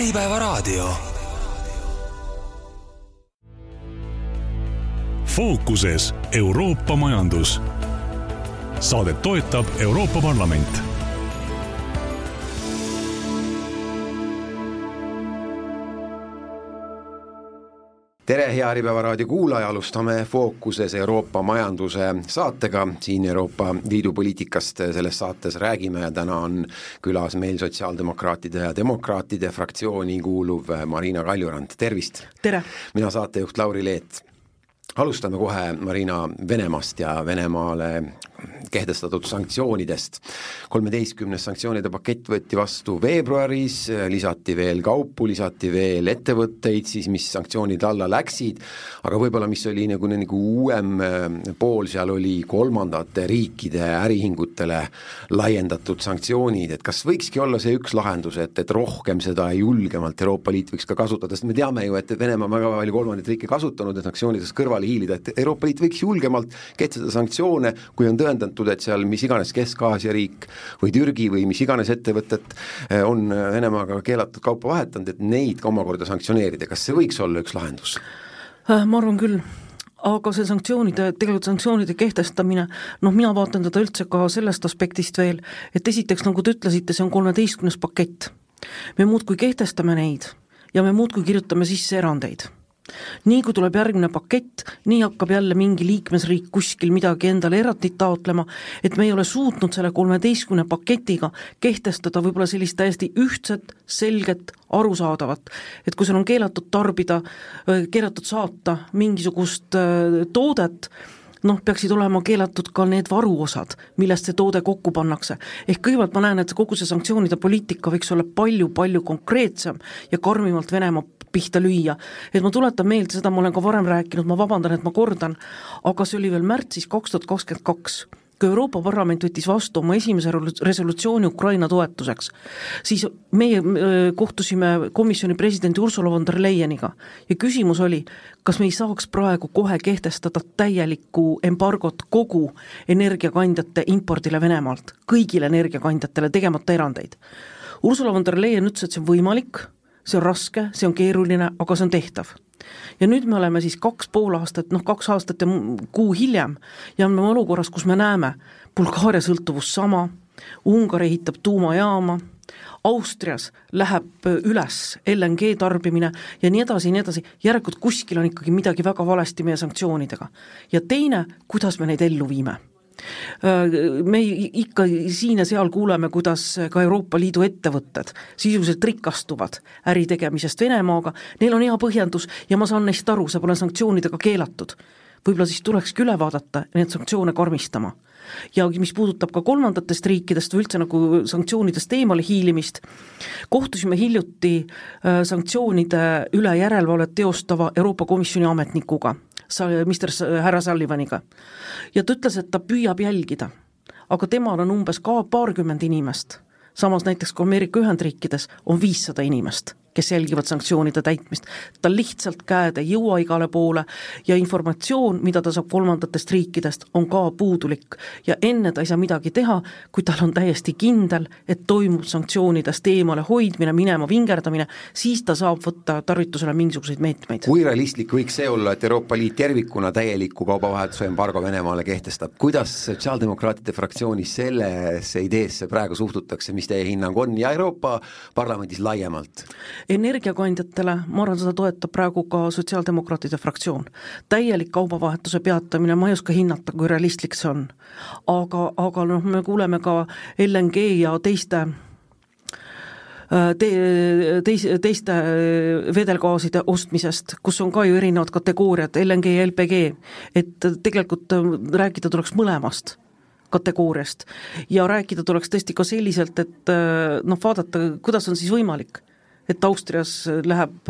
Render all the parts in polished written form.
Äripäevaraadio. Fookuses Euroopa majandus. Saadet toetab Euroopa Parlament. Tere, hea Äripäevaraadio kuulaja, alustame Fookuses Euroopa majanduse saatega. Siin Euroopa Liidu poliitikast selles saates räägime ja täna on külas meil sotsiaaldemokraatide ja demokraatide fraktsiooni kuuluv Marina Kaljurand. Tervist! Tere! Mina saatejuht Lauri Leet. Alustame kohe, Marina, Venemaast ja Venemaale kehtestatud sanktsioonidest. 13 sanktsioonide pakett võeti vastu veebruaris, lisati veel kaupu, lisati veel ettevõtteid, siis mis sanktsioonid alla läksid, aga võib-olla mis oli nagu uuem pool, seal oli kolmandate riikide äriühingutele laiendatud sanktsioonid, et kas võikski olla see üks lahendus, et rohkem seda julgemalt Euroopa Liit võiks ka kasutada, sest me teame ju, et Venemaa väga palju kolmandat riiki kasutanud ja sanktsioonidest kõrvale hiilida, et Euroopa Liit võiks julgemalt kehtestada sanktsioone, kui on tõendatud, et seal mis iganes Kesk-Aasia riik või Türgi või mis iganes ettevõtet on Venemaaga keelatud kaupa vahetanud, et neid ka omakorda sanktsioneerida. Kas see võiks olla üks lahendus? Ma arvan küll, aga see sanktsioonide kehtestamine, mina vaatan teda üldse ka sellest aspektist veel, et esiteks, nagu te ütlesite, see on 13. pakett. Me muudkui kehtestame neid ja me muudkui kirjutame sisse erandeid. Nii kui tuleb järgmine pakett, nii hakkab jälle mingi liikmesriik kuskil midagi endale erandit taotlema, et me ei ole suutnud selle 13 paketiga kehtestada võib-olla sellist täiesti ühtset, selget, arusaadavat, et kui seal on keelatud tarbida, keelatud saata mingisugust toodet, peaksid olema keelatud ka need varuosad, millest see toode kokku pannakse. Ehk kõigepealt ma näen, et kogu see sanktsioonide poliitika võiks olla palju kui karmimalt Venemaa pihta lüüa. Et ma tuletan meelde, seda ma olen ka varem rääkinud, ma vabandan, et ma kordan, aga see oli veel märtsis 2022, kui Euroopa Parlament võttis vastu oma esimese resolutsiooni Ukraina toetuseks, siis meie kohtusime komisjoni presidendi Ursula von der Leyeniga ja küsimus oli, kas me ei saaks praegu kohe kehtestada täielikku embargot kogu energiakandjate impordile Venemaalt, kõigile energiakandjatele tegemata erandeid. Ursula von der Leyen ütles, et see on võimalik, see on raske, see on keeruline, aga see on tehtav. Ja nüüd me oleme siis 2,5 aastat, 2 aastat ja kuu hiljem ja me olukorras, kus me näeme Bulgaaria sõltuvus sama, Ungari ehitab tuumajaama, Austrias läheb üles LNG tarbimine ja nii edasi, järelikult kuskil on ikkagi midagi väga valesti meie sanktsioonidega. Ja teine, kuidas me neid ellu viime. Me ikka siin ja seal kuuleme, kuidas ka Euroopa Liidu ettevõtted sisuliselt rikastuvad äritegemisest Venemaaga, neil on hea põhjendus ja ma saan neist aru, see pole sanktsioonidega keelatud. Võib-olla siis tulekski üle vaadata need sanktsioone karmistama. Ja mis puudutab ka kolmandatest riikidest või üldse nagu sanktsioonidest eemale hiilimist, kohtusime hiljuti sanktsioonide üle järelevalvet teostava Euroopa Komisjoni ametnikuga, härra Sullivaniga. Ja ta ütles, et ta püüab jälgida, aga temal on umbes ka 20 inimest. Samas näiteks kui Ameerika Ühendriikides on 500 inimest, kes jälgivad sanktsioonide täitmist. Ta lihtsalt käed ei jõua igale poole ja informatsioon, mida ta saab kolmandatest riikidest, on ka puudulik. Ja enne ta ei saa midagi teha, kui tal on täiesti kindel, et toimub sanktsioonidest eemale hoidmine, minema vingerdamine, siis ta saab võtta tarvitusele mingisuguseid meetmeid. Kui realistlik võiks see olla, et Euroopa Liit tervikuna täieliku kaubavahetuse embargo Venemaale kehtestab? Kuidas sotsiaaldemokraatide fraktsioonis sellesse ideesse praegu suhtutakse, mis teie hinnang on ja Euroopa Parlamendis laiemalt? Energiakandjatele, ma arvan, seda toetab praegu ka sotsiaaldemokraatide fraktsioon. Täielik kaubavahetuse peatamine, ma ei oska hinnata, kui realistlik see on. Aga me kuuleme ka LNG ja teiste vedelgaaside ostmisest, kus on ka ju erinevad kategooriad, LNG ja LPG, et tegelikult rääkida tuleks mõlemast kategooriast ja rääkida tuleks tõesti ka selliselt, et vaadata, kuidas on siis võimalik, et Austrias läheb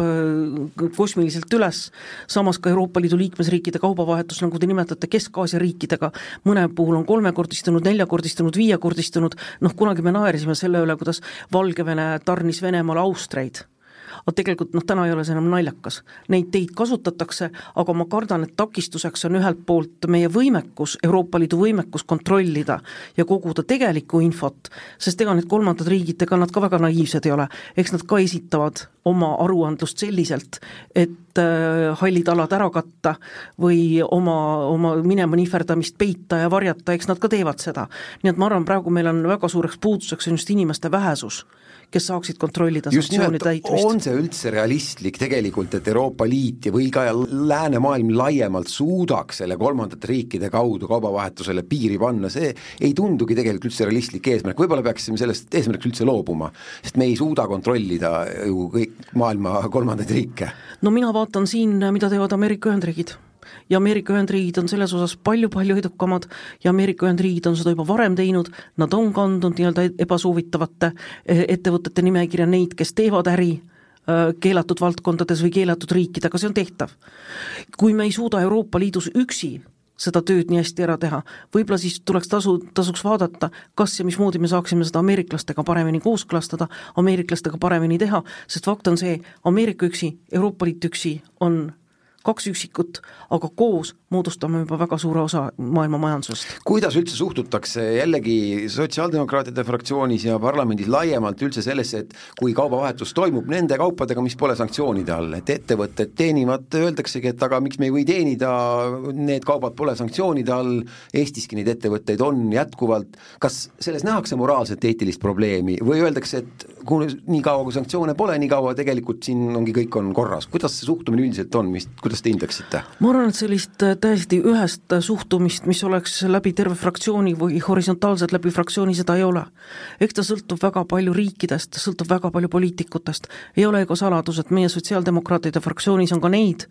kosmiliselt üles, samas ka Euroopa Liidu liikmesriikide kaubavahetus, nagu te nimetate Kesk-Aasia riikidega, mõne puhul on 3-kordistunud, 4-kordistunud, 5-kordistunud, kunagi me naerisime selle üle, kuidas Valgevene tarnis Venemaale Austreid. aga tegelikult täna ei ole see enam naljakas. Neid teid kasutatakse, aga ma kardan, et takistuseks on ühelt poolt meie võimekus, Euroopa Liidu võimekus kontrollida ja koguda tegelikku infot, sest ega need kolmandad riigid, ega nad ka väga naiivsed ei ole, eks nad ka esitavad oma aruandlust selliselt, et hallid alad ära katta või oma minema nihverdamist peita ja varjata, eks nad ka teevad seda. Nii et ma arvan, praegu meil on väga suureks puuduseks on just inimeste vähesus, kes saaksid kontrollida sanktsioonide täitmist. On see üldse realistlik tegelikult, et Euroopa Liit või ka läänemaailm laiemalt suudaks selle kolmandate riikide kaudu kaubavahetusele piiri panna, see ei tundugi tegelikult üldse realistlik eesmärk, võib-olla peaksime sellest eesmärks üldse loobuma, sest me ei suuda kontrollida ju kõik maailma kolmandaid riike. No mina vaatan siin, mida teevad Ameerika Ühendriigid. Ja Ameerika Ühendriigid on selles osas palju-palju edukamad ja Ameerika Ühendriigid on seda juba varem teinud, nad on kandnud nii-öelda ebasoovitavate ettevõtete nimekirja neid, kes teevad äri keelatud valdkondades või keelatud riikidega, see on tehtav. Kui me ei suuda Euroopa Liidus üksi seda tööd nii hästi ära teha, võib-olla siis tuleks tasuks vaadata, kas ja mismoodi me saaksime seda ameeriklastega paremini kooskõlastada, ameeriklastega paremini teha, sest fakt on see, Ameerika üksi, Euroopa Liit üksi on 2 üksikut, aga koos moodustame juba väga suure osa maailma majandusest. Kuidas üldse suhtutakse jällegi sotsiaaldemokraatide fraktsioonis ja parlamendis laiemalt üldse sellesse, et kui kaubavahetus toimub nende kaupadega, mis pole sanktsioonide all, et ettevõtted teenivad, öeldaksegi, et aga miks me ei või teenida, need kaubad pole sanktsioonide all, Eestiski neid ettevõtteid on jätkuvalt, kas selles nähakse moraalset eetilist probleemi või öeldakse, et kui nii kaua kui sanktsioone pole, nii kaua tegelikult siin ongi kõik on korras, kuidas see suhtumine üldiselt on, kuidas te hindaksite? Ma arvan, et sellist täiesti ühest suhtumist, mis oleks läbi terve fraktsiooni või horisontaalselt läbi fraktsiooni, seda ei ole. Eks ta sõltub väga palju riikidest, sõltub väga palju poliitikutest. Ei ole ega saladus, et meie sotsiaaldemokraatide fraktsioonis on ka neid,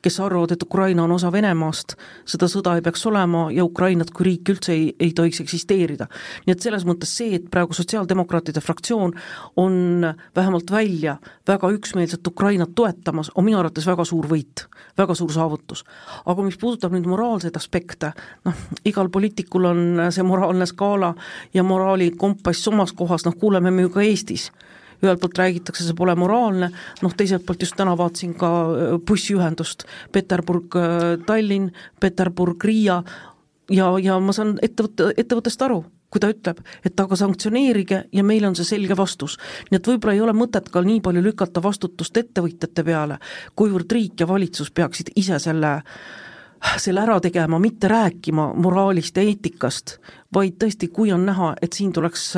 kes arvavad, et Ukraina on osa Venemaast, seda sõda ei peaks olema ja Ukrainat kui riik üldse ei tohiks eksisteerida. Nii et selles mõttes see, et praegu sotsiaaldemokraatide fraktsioon on vähemalt välja väga üksmeelselt Ukrainat toetamas, on minu arvates väga suur võit, väga suur saavutus. Aga mis puudutab nüüd moraalseid aspekte, igal poliitikul on see moraalne skaala ja moraali kompass omas kohas, kuuleme me ju ka Eestis. Ühelt poolt räägitakse, see pole moraalne, teiselt poolt just täna vaatasin ka bussiühendust Peterburg-Tallinn, Peterburg-Riia ja ma saan ettevõttest aru, kui ta ütleb, et aga sanktsioneerige ja meil on see selge vastus. Nii et võib-olla ei ole mõtet ka nii palju lükata vastutust ettevõtjate peale, kuivõrd riik ja valitsus peaksid ise selle ära tegema, mitte rääkima moraalist ja eetikast, vaid tõesti, kui on näha, et siin tuleks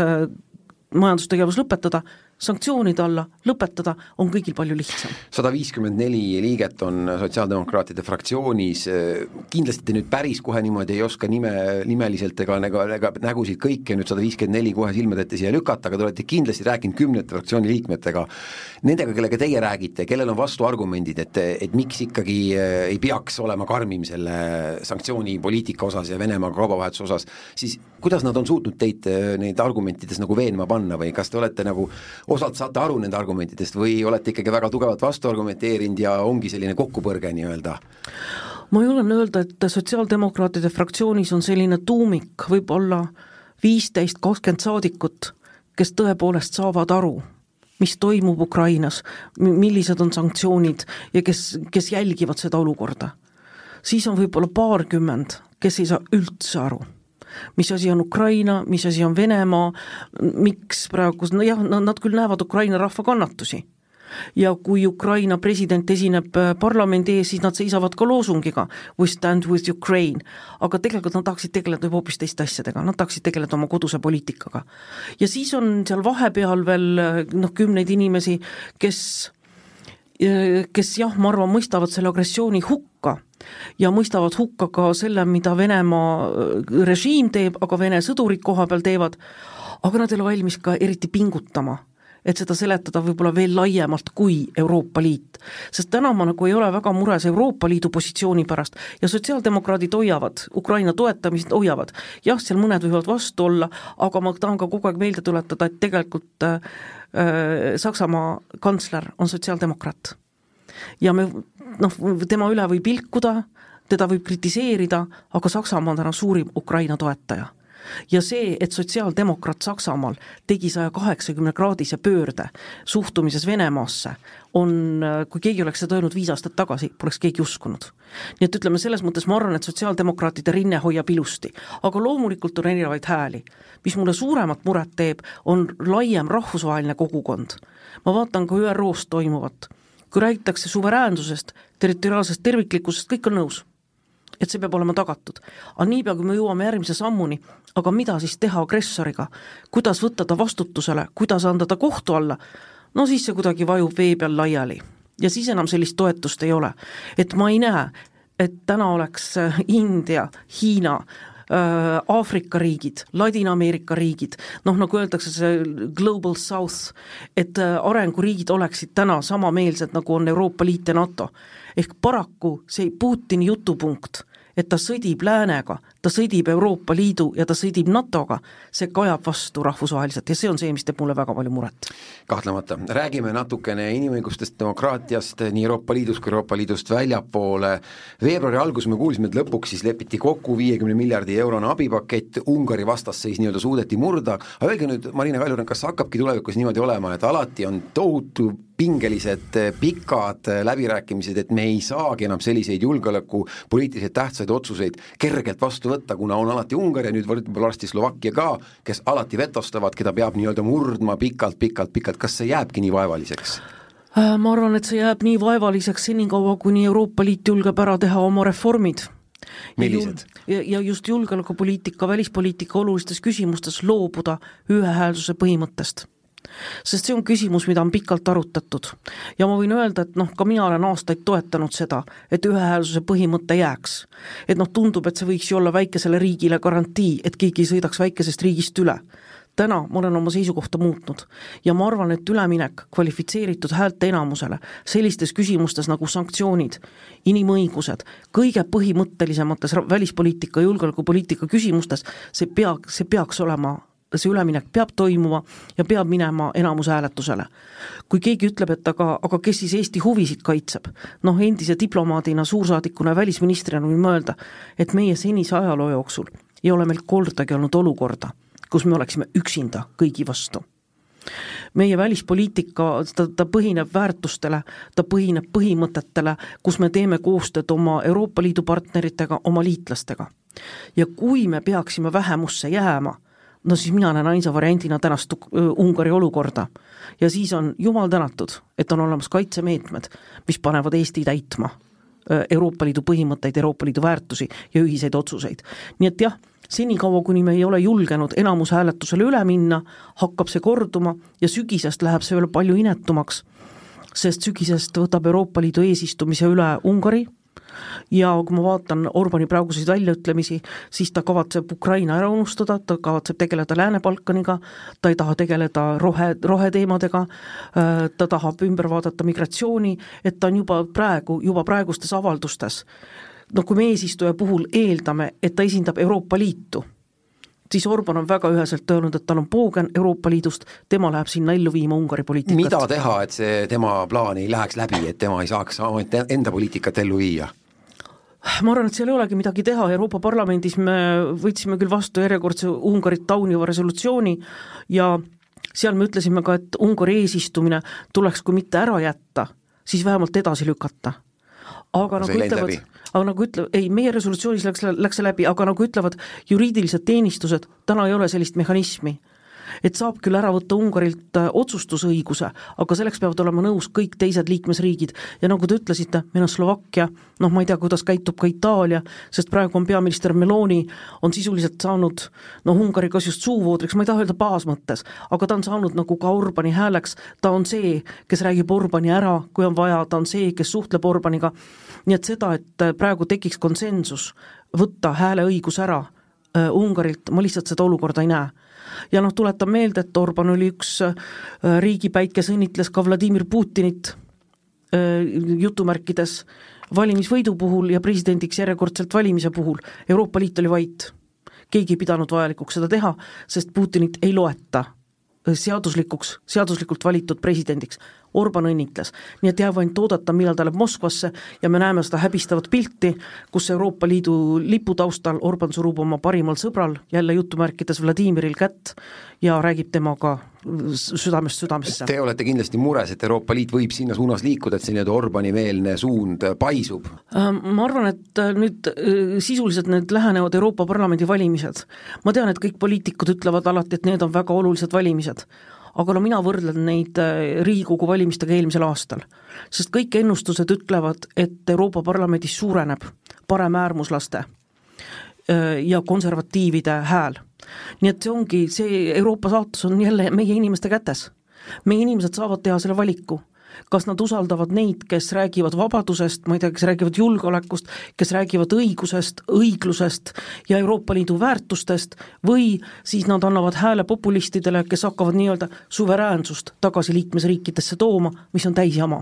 majandustegevus lõpetada, sanktsioonide alla lõpetada on kõigil palju lihtsam. 154 liiget on sotsiaaldemokraatide fraktsioonis, kindlasti te nüüd päris kohe niimoodi ei oska nimeliselt ega nägusid kõike nüüd 154 kohe silmadette siia lükata, aga te olete kindlasti rääkinud 10 fraktsiooni liikmetega, nendega, kellega teie räägite, kellel on vastuargumendid, et miks ikkagi ei peaks olema karmim selle sanktsioonipoliitika osas ja Venemaa kaubavahetuse osas, siis kuidas nad on suutnud teid neid argumentides veenma panna või kas te olete osalt saate aru nende argumentidest või olete ikkagi väga tugevalt vastu argumenteerinud ja ongi selline kokkupõrge nii-öelda? Ma julgen öelda, et sotsiaaldemokraatide fraktsioonis on selline tuumik, võib-olla 15-20 saadikut, kes tõepoolest saavad aru, mis toimub Ukrainas, millised on sanktsioonid ja kes jälgivad seda olukorda. Siis on võib-olla 20, kes ei saa üldse aru. Mis asi on Ukraina, mis asi on Venemaa, miks praegu, nad küll näevad Ukraina rahva kannatusi. Ja kui Ukraina president esineb parlamendi ees, siis nad seisavad ka loosungiga We stand with Ukraine, aga tegelikult nad tahaksid tegeleda hoopis teiste asjadega, nad tahaksid tegeleda oma koduse poliitikaga. Ja siis on seal vahepeal veel 10 inimesi, kes ma arvan, mõistavad selle agressiooni hukka ja mõistavad hukka ka selle, mida Venemaa režiim teeb, aga Vene sõdurid koha peal teevad, aga nad ei ole valmis ka eriti pingutama, et seda seletada võib-olla veel laiemalt kui Euroopa Liit. Sest täna ma ei ole väga mures Euroopa Liidu positsiooni pärast ja sotsiaaldemokraadid hoiavad, Ukraina toetamist hoiavad. Jah, seal mõned võivad vastu olla, aga ma tahan ka kogu aeg meelde tuletada, et tegelikult Saksamaa kantsler on sotsiaaldemokraat. Ja tema üle võib ilkuda, teda võib kritiseerida, aga Saksamaa on täna suurim Ukraina toetaja. Ja see, et sotsiaaldemokraat Saksamaal tegi 180-kraadise pöörde suhtumises Venemaasse, kui keegi oleks seda öelnud 5 aastat tagasi, poleks keegi uskunud. Nii et ütleme, selles mõttes ma arvan, et sotsiaaldemokraatide rinne hoiab ilusti, aga loomulikult on erinevaid hääli. Mis mulle suuremat muret teeb, on laiem rahvusvaheline kogukond. Ma vaatan ka ÜROs toimuvat. Kui räägitakse suveräänsusest, territoriaalsest terviklikkusest, kõik on nõus, et see peab olema tagatud. Aga niipea, kui me jõuame järgmise sammuni, aga mida siis teha agressoriga, kuidas võtta ta vastutusele, kuidas anda ta kohtu alla, no siis see kuidagi vajub vee peal laiali. Ja siis enam sellist toetust ei ole. Et ma ei näe, et täna oleks India, Hiina, Aafrika riigid, Ladina-Ameerika riigid, nagu öeldakse see Global South, et arenguriigid oleksid täna samameelsed, nagu on Euroopa Liit ja NATO. Ehk paraku see Putini jutupunkt, et ta sõdib läänega, ta sõdib Euroopa Liidu ja ta sõdib NATOga, see kajab vastu rahvusvaheliselt ja see on see, mis teeb mulle väga palju muret. Kahtlemata. Räägime natukene inimõigustest, demokraatiast nii Euroopa Liidus kui Euroopa Liidust väljapoole. Veebruari algus me kuulsime, et lõpuks siis lepiti kokku 50 miljardi eurone abipakett, Ungari vastasseis nii-öelda suudeti murda. Aga öelge nüüd, Marina Kaljuran, kas hakkabki tulevikus niimoodi olema, et alati on tohutu pingelised, pikad läbirääkimised, et me ei saagi enam selliseid julgeoleku poliitiliselt tähtsaid otsuseid kergelt vastu võtta, kuna on alati Ungari ja nüüd varsti Slovakkia ka, kes alati vetostavad, keda peab nii-öelda murdma pikalt. Kas see jääbki nii vaevaliseks? Ma arvan, et see jääb nii vaevaliseks senikaua, kuni Euroopa Liit julgeb ära teha oma reformid. Millised? Ja just julgeolekupoliitika, välispoliitika olulistes küsimustes loobuda ühehäälsuse põhimõttest. Sest see on küsimus, mida on pikalt arutatud. Ja ma võin öelda, et ka mina olen aastaid toetanud seda, et ühehäälsuse põhimõte jääks. Et tundub, et see võiks ju olla väikesele riigile garantii, et keegi ei sõidaks väikesest riigist üle. Täna ma olen oma seisukohta muutnud ja ma arvan, et üleminek kvalifitseeritud häälte enamusele sellistes küsimustes nagu sanktsioonid, inimõigused, kõige põhimõttelisemates välispoliitika ja julgeolekupoliitika küsimustes, see peaks olema, see üleminek peab toimuma ja peab minema enamushääletusele. Kui keegi ütleb, et aga kes siis Eesti huvisid kaitseb, endise diplomaadina, suursaadikuna ja välisministrina võin mõelda, et meie senise ajaloo jooksul ei ole meil kordagi olnud olukorda, kus me oleksime üksinda kõigi vastu. Meie välispoliitika, ta põhineb väärtustele, ta põhineb põhimõtetele, kus me teeme koostööd oma Euroopa Liidu partneritega, oma liitlastega. Ja kui me peaksime vähemusse jääma, siis mina näen ainsa variandina tänast Ungari olukorda. Ja siis on jumal tänatud, et on olemas kaitsemeetmed, mis panevad Eesti täitma Euroopa Liidu põhimõtteid, Euroopa Liidu väärtusi ja ühiseid otsuseid. Nii et jah, senikaua, kuni me ei ole julgenud enamushääletusele üle minna, hakkab see korduma ja sügisest läheb see veel palju inetumaks, sest sügisest võtab Euroopa Liidu eesistumise üle Ungari ja kui ma vaatan Orbani praeguseid väljaütlemisi, siis ta kavatseb Ukraina ära unustada, ta kavatseb tegeleda Lääne-Balkaniga, ta ei taha tegeleda roheteemadega, ta tahab ümber vaadata migratsiooni, et ta on juba praegustes avaldustes. Kui me eesistuja puhul eeldame, et ta esindab Euroopa Liitu, siis Orban on väga üheselt öelnud, et tal on poogen Euroopa Liidust, tema läheb sinna ellu viima Ungari poliitikat. Mida teha, et see tema plaan ei läheks läbi, et tema ei saaks enda poliitikat ellu viia? Ma arvan, et seal ei olegi midagi teha. Euroopa Parlamendis me võtsime küll vastu järjekordse Ungarit tauniva resolutsiooni ja seal me ütlesime ka, et Ungari eesistumine tuleks kui mitte ära jätta, siis vähemalt edasi lükata. Aga nagu ütlevad, meie resolutsioonis läks läbi, aga nagu ütlevad juriidilised teenistused, täna ei ole sellist mehhanismi. Et saab küll ära võtta Ungarilt otsustusõiguse, aga selleks peavad olema nõus kõik teised liikmesriigid. Ja nagu te ütlesite, meil on Slovakkia, ma ei tea, kuidas käitub ka Itaalia, sest praegu on peaminister Meloni, on sisuliselt saanud, Ungari kas just suuvoodriks, ma ei taha öelda baasmõttes, aga ta on saanud nagu ka Orbani hääleks, ta on see, kes räägib Orbani ära, kui on vaja, ta on see, kes suhtleb Orbaniga. Nii et seda, et praegu tekiks konsensus, võtta hääleõigus ära Ungarilt, ma lihtsalt seda olukorda ei näe. Ja tuletan meelde, et Orban oli üks riigipäik, kes õnnitles ka Vladimir Putinit jutumärkides valimisvõidu puhul ja presidendiks järjekordselt valimise puhul. Euroopa Liit oli vait. Keegi ei pidanud vajalikuks seda teha, sest Putinit ei loeta seaduslikult valitud presidendiks. Orban õnnitles, nii et jääb ainult oodata, millal ta läheb Moskvasse ja me näeme seda häbistavat pilti, kus Euroopa Liidu lipu taustal Orban surub oma parimal sõbral, jälle jutumärkides Vladimiril kätt ja räägib temaga südamest südamesse. Te olete kindlasti mures, et Euroopa Liit võib sinna suunas liikuda, et see nii-öelda Orbani-meelne suund paisub? Ma arvan, et nüüd sisuliselt need lähenevad Euroopa Parlamendi valimised. Ma tean, et kõik poliitikud ütlevad alati, et need on väga olulised valimised. Aga no mina võrdlen neid Riigikogu valimistega eelmisel aastal, sest kõik ennustused ütlevad, et Euroopa Parlamendis suureneb paremäärmuslaste ja konservatiivide hääl. Nii et see ongi, see Euroopa saatus on jälle meie inimeste kätes. Meie inimesed saavad teha selle valiku. Kas nad usaldavad neid, kes räägivad vabadusest, ma ei tea, kes räägivad julgeolekust, kes räägivad õigusest, õiglusest ja Euroopa Liidu väärtustest või siis nad annavad hääle populistidele, kes hakkavad nii-öelda suveräänsust tagasi liikmesriikidesse tooma, mis on täis jama.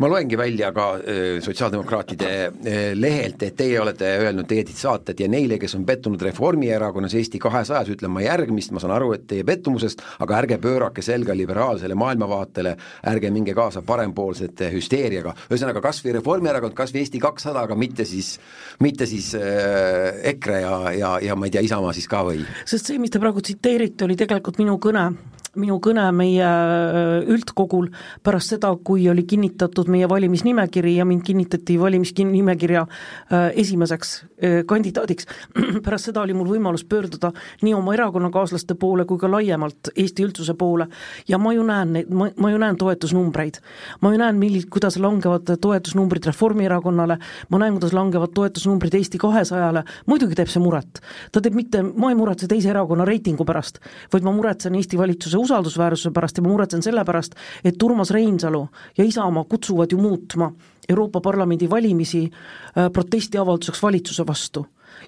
Ma loengi välja ka sotsiaaldemokraatide lehelt, et teie olete öelnud teie saated ja neile, kes on pettunud Reformierakonnas Eesti 200-s, ütlen ma järgmist, ma saan aru, et teie pettumusest, aga ärge pöörake selga liberaalsele maailmavaatele, ärge minge kaasa parempoolsete hüsteeriaga. Ühesõnaga, kas või Reformierakond, kas või Eesti 200, aga mitte siis EKRE ja ma ei tea, Isamaa siis ka või? Sest see, mis te praegu tsiteerite, oli tegelikult minu kõne meie üldkogul pärast seda, kui oli kinnitatud meie valimisnimekiri ja mind kinnitati valimisnimekirja esimeseks kandidaadiks. Pärast seda oli mul võimalus pöörduda nii oma erakonnakaaslaste poole kui ka laiemalt Eesti üldsuse poole ja ma ju näen toetusnumbreid. Ma ju näen, kuidas langevad toetusnumbrid Reformierakonnale, ma näen, kuidas langevad toetusnumbrid Eesti 200-le, muidugi teeb see muret. Ma ei muretse teise erakonna reitingu pärast, vaid ma muretsen Eesti valitsuse usaldusväärsuse pärast ja ma muretsen selle pärast, et Urmas Reinsalu ja Isamaa kutsuvad ju muutma Euroopa Parlamendi valimisi protestiavalduseks valitsuse vastu.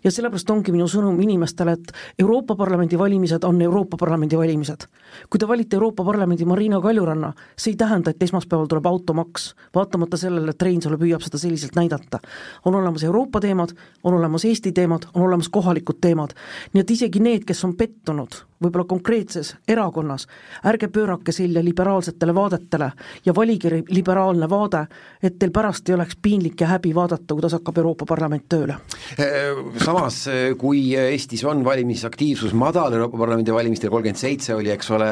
Ja sellepärast ongi minu sõnum inimestele, et Euroopa Parlamendi valimised on Euroopa Parlamendi valimised. Kui te valite Euroopa Parlamendi Marina Kaljuranna, see ei tähenda, et esmaspäeval tuleb automaks, vaatamata sellele, et Reinsalu püüab seda selliselt näidata. On olemas Euroopa teemad, on olemas Eesti teemad, on olemas kohalikud teemad. Nii et isegi need, kes on pettunud, võib-olla konkreetses erakonnas, ärge pöörake selja liberaalsetele vaadetele ja valige liberaalne vaade, et teil pärast ei oleks piinlik ja häbi vaadata, kuidas hakkab Euroopa Parlament tööle. Samas, kui Eestis on valimisaktiivsus madal, Euroopa Parlamendi valimistel 37 oli, eks ole,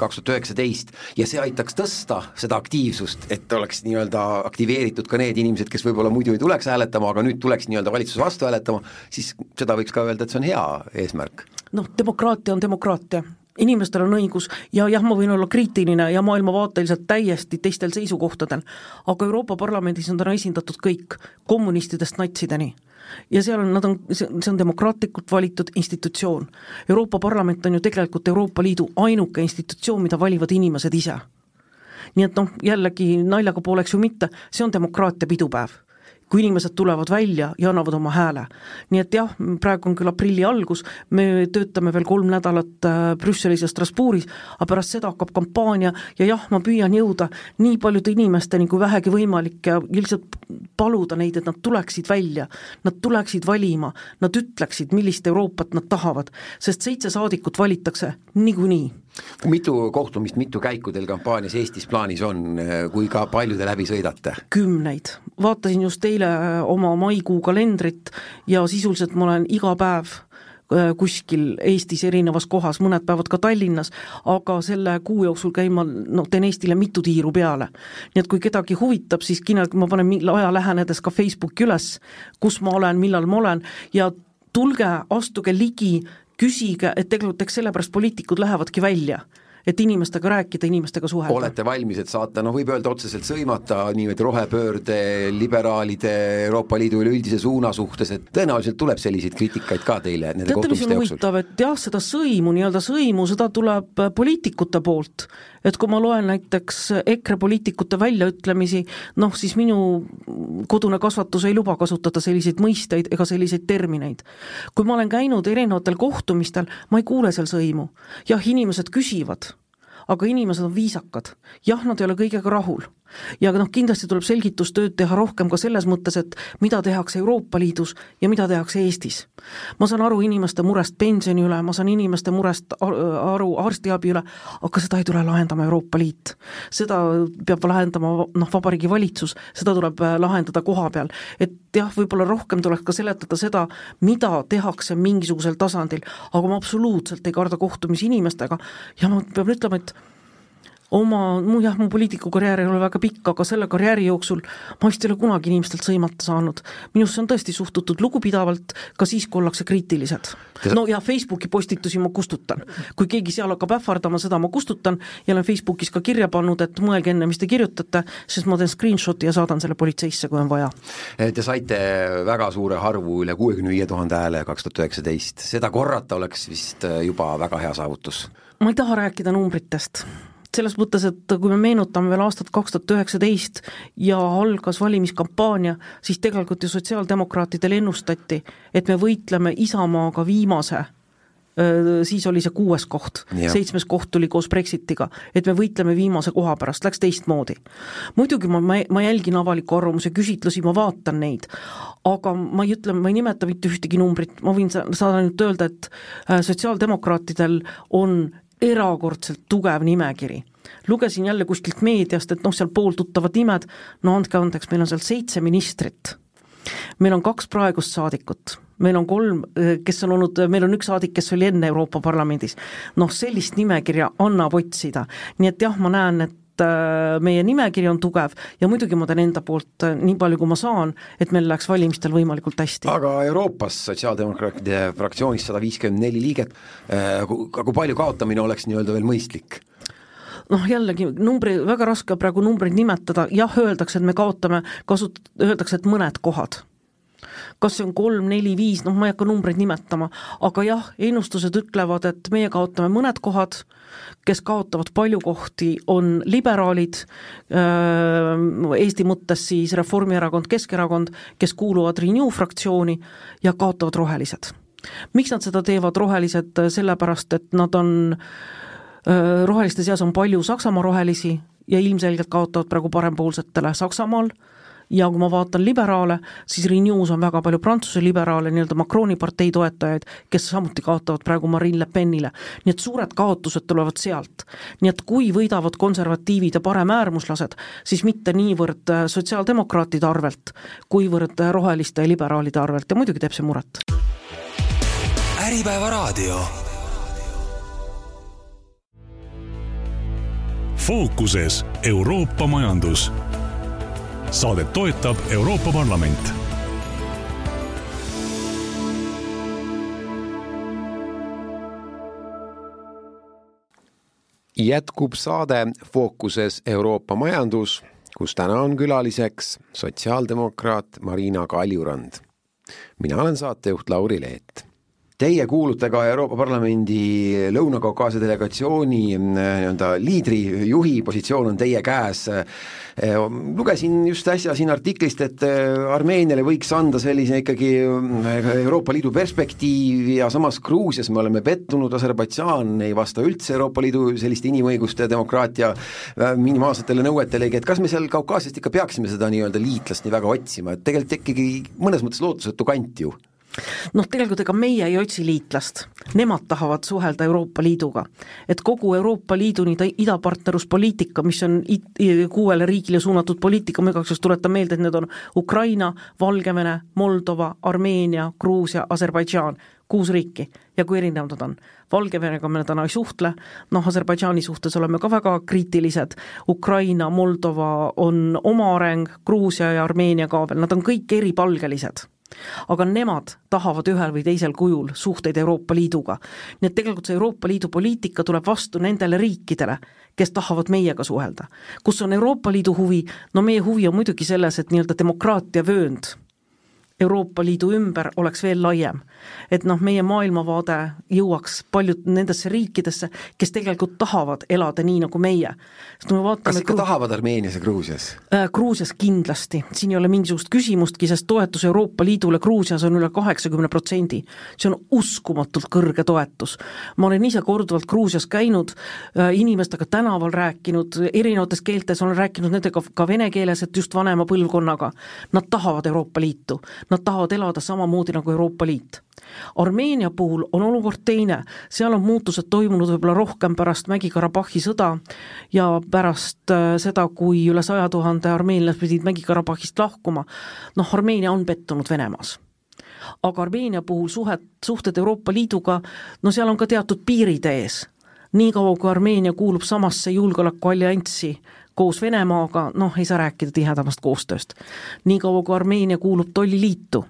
2019 ja see aitaks tõsta seda aktiivsust, et oleks nii-öelda aktiveeritud ka need inimesed, kes võib-olla muidu ei tuleks hääletama, aga nüüd tuleks nii-öelda valitsuse vastu hääletama, siis seda võiks ka öelda, et see on hea eesmärk. Demokraatia on demokraatia. Inimestel on õigus ja jah, ma võin olla kriitiline ja maailmavaateliselt täiesti teistel seisukohtadel, aga Euroopa Parlamendis on täna esindatud kõik kommunistidest natsideni. Ja see on demokraatlikult valitud institutsioon. Euroopa Parlament on ju tegelikult Euroopa Liidu ainuke institutsioon, mida valivad inimesed ise. Nii et jällegi naljaga pooleks ju mitte, see on demokraatia pidupäev. Kui inimesed tulevad välja ja annavad oma hääle. Nii et jah, praegu on küll aprilli algus, me töötame veel 3 nädalat Brüsselis ja Strasbourgis, aga pärast seda hakkab kampaania ja jah, ma püüan jõuda nii paljude inimesteni kui vähegi võimalik ja lihtsalt paluda neid, et nad tuleksid välja, nad tuleksid valima, nad ütleksid, millist Euroopat nad tahavad, sest 7 saadikut valitakse niikuinii. Mitu kohtumist, mitu käiku teil kampaanias Eestis plaanis on, kui ka palju te läbi sõidate? 10. Vaatasin just eile oma maikuu kalendrit ja sisuliselt ma olen iga päev kuskil Eestis erinevas kohas, mõned päevad ka Tallinnas, aga selle kuu jooksul teen Eestile mitu tiiru peale. Nii et kui kedagi huvitab, siis ma panen aja lähenedes ka Facebooki üles, kus ma olen, millal ma olen ja tulge, astuge ligi, küsige, et tegelikult sellepärast poliitikud lähevadki välja, et inimestega rääkida, inimestega suhelda. Olete valmis, et saata, võib öelda otseselt sõimata niimoodi rohepöörde, liberaalide, Euroopa Liidu üleüldise suuna suhtes, et tõenäoliselt tuleb selliseid kriitikaid ka teile nende kohtumiste jooksul. Huvitav, et jah, seda sõimu, seda tuleb poliitikute poolt, et kui ma loen näiteks EKRE poliitikute väljaütlemisi, siis minu kodune kasvatus ei luba kasutada selliseid mõisteid ega selliseid termineid. Kui ma olen käinud erinevatel kohtumistel, ma ei kuule seal sõimu. Jah, inimesed küsivad, aga inimesed on viisakad. Jah, nad ei ole kõigega rahul. Ja kindlasti tuleb selgitustööd teha rohkem ka selles mõttes, et mida tehakse Euroopa Liidus ja mida tehakse Eestis. Ma saan aru inimeste murest pensioni üle, ma saan inimeste murest aru arstiabi üle, aga seda ei tule lahendama Euroopa Liit. Seda peab lahendama Vabariigi Valitsus, seda tuleb lahendada koha peal. Et jah, võib-olla rohkem tuleks ka seletada seda, mida tehakse mingisugusel tasandil, aga ma absoluutselt ei karda kohtumisi inimestega ja ma pean ütlema, et mu poliitikukarjäär ei ole väga pikk, aga selle karjääri jooksul ma vist ei ole kunagi inimestelt sõimata saanud. Minusse on tõesti suhtutud lugupidavalt, ka siis, kui ollakse kriitilised. No ja Facebooki postitusi ma kustutan. Kui keegi seal hakkab ähvardama, seda ma kustutan ja olen Facebookis ka kirja pannud, et mõelge enne, mis te kirjutate, sest ma teen screenshoti ja saadan selle politseisse, kui on vaja. Te saite väga suure harvu üle 65 000 hääle 2019. Seda korrata oleks vist juba väga hea saavutus. Ma ei taha rääkida numbritest. Selles mõttes, et kui me meenutame veel aastat 2019 ja algas valimiskampaania, siis tegelikult ju sotsiaaldemokraatidel ennustati, et me võitleme Isamaaga viimase, siis oli see 6. koht, 7. koht tuli koos Brexitiga, et me võitleme viimase koha pärast, läks teistmoodi. Muidugi ma jälgin avaliku arvamuse küsitlusi, ma vaatan neid, aga ma ei nimeta mitte ühtegi numbrit, ma võin saada nüüd öelda, et sotsiaaldemokraatidel on erakordselt tugev nimekiri. Lugesin jälle kuskilt meediast, et seal pool tuttavad nimed, andke andeks, meil on seal 7 ministrit. Meil on 2 praegust saadikut, meil on 3, kes on olnud, meil on 1 saadik, kes oli enne Euroopa Parlamendis. Sellist nimekirja annab otsida. Nii et jah, ma näen, et meie nimekiri on tugev ja muidugi ma teen enda poolt nii palju, kui ma saan, et meil läheks valimistel võimalikult hästi. Aga Euroopas sotsiaaldemokraatide fraktsioonis 154 liiget, kui palju kaotamine oleks nii-öelda veel mõistlik? Jällegi, väga raske praegu numbreid nimetada, jah, öeldakse, et me kaotame, öeldakse, et mõned kohad. Kas see on 3, 4, 5, ma ei hakka numbreid nimetama, aga jah, ennustused ütlevad, et meie kaotame mõned kohad, kes kaotavad palju kohti, on liberaalid, Eesti mõttes siis Reformierakond, Keskerakond, kes kuuluvad Renew fraktsiooni ja kaotavad rohelised. Miks nad seda teevad rohelised? Sellepärast, et nad on roheliste seas on palju Saksamaa rohelisi ja ilmselgelt kaotavad praegu parempoolsetele Saksamaal ja kui ma vaatan liberaale, siis Renews on väga palju Prantsuse liberaale, nii-öelda Macroni partei toetajaid, kes samuti kaotavad praegu Marine Le Penile. Nii et suured kaotused tulevad sealt. Nii et kui võidavad konservatiivid ja paremäärmuslased, siis mitte niivõrd sotsiaaldemokraatide arvelt, kuivõrd roheliste ja liberaalide arvelt ja muidugi teeb see muret. Äripäeva raadio. Fookuses Euroopa majandus. Saadet toetab Euroopa Parlament. Jätkub saade Fookuses Euroopa majandus, kus täna on külaliseks sotsiaaldemokraat Marina Kaljurand. Mina olen saatejuht Lauri Leet. Teie kuulute ka Euroopa Parlamendi Lõuna-Kaukaasia delegatsiooni liidri, juhi positsioon on teie käes. Lugesin just äsja siin artiklist, et Armeeniale võiks anda sellise ikkagi Euroopa Liidu perspektiivi ja samas Gruusias me oleme pettunud, Aserbaidžaan ei vasta üldse Euroopa Liidu selliste inimõiguste ja demokraatia minimaalsetele nõuetele, et kas me seal Kaukaasiast ikka peaksime seda nii-öelda liitlast nii väga otsima, et tegelikult ikkagi mõnes mõttes lootusetu kant ju. Tegelikult ega meie ei otsi liitlast, nemad tahavad suhelda Euroopa Liiduga, et kogu Euroopa Liidu idapartneruspoliitika, mis on 6 riigile suunatud poliitika, ma igaks tuletan meelde, et need on Ukraina, Valgevene, Moldova, Armeenia, Gruusia, Aserbaidžaan, 6 riiki ja kui erinevad nad on. Valgevenega me täna ei suhtle, Aserbaidžaani suhtes oleme ka väga kriitilised, Ukraina, Moldova on oma areng, Gruusia ja Armeenia ka veel, nad on kõik eripalgelised. Aga nemad tahavad ühel või teisel kujul suhteid Euroopa Liiduga. Nii et tegelikult see Euroopa Liidu poliitika tuleb vastu nendele riikidele, kes tahavad meiega suhelda. Kus on Euroopa Liidu huvi? Meie huvi on muidugi selles, et nii-öelda demokraatia vöönd Euroopa Liidu ümber oleks veel laiem. Et meie maailmavaade jõuaks paljud nendesse riikidesse, kes tegelikult tahavad elada nii nagu meie. Kas ikka tahavad Armeenias ja Gruusias? Gruusias kindlasti. Siin ei ole mingisugust küsimustki, sest toetus Euroopa Liidule Gruusias on üle 80%. See on uskumatult kõrge toetus. Ma olen ise korduvalt Gruusias käinud, inimestega tänaval rääkinud, erinevates keeltes olen rääkinud nendega ka vene keeles, et just vanema põlvkonnaga. Nad tahavad Euroopa Liitu. Nad tahavad elada samamoodi nagu Euroopa Liit. Armeenia puhul on olukord teine, seal on muutused toimunud võib-olla rohkem pärast Mägi-Karabahhi sõda ja pärast seda, kui üle 100 000 armeenlased pidid Mägi-Karabahhist lahkuma. Armeenia on pettunud Venemaas. Aga Armeenia puhul suhted Euroopa Liiduga, seal on ka teatud piirid ees. Nii kaua, kui Armeenia kuulub samasse julgeolekuallianssi koos Venemaaga, ei saa rääkida tihedamast koostööst. Nii kaua, kui Armeenia kuulub tolliliitu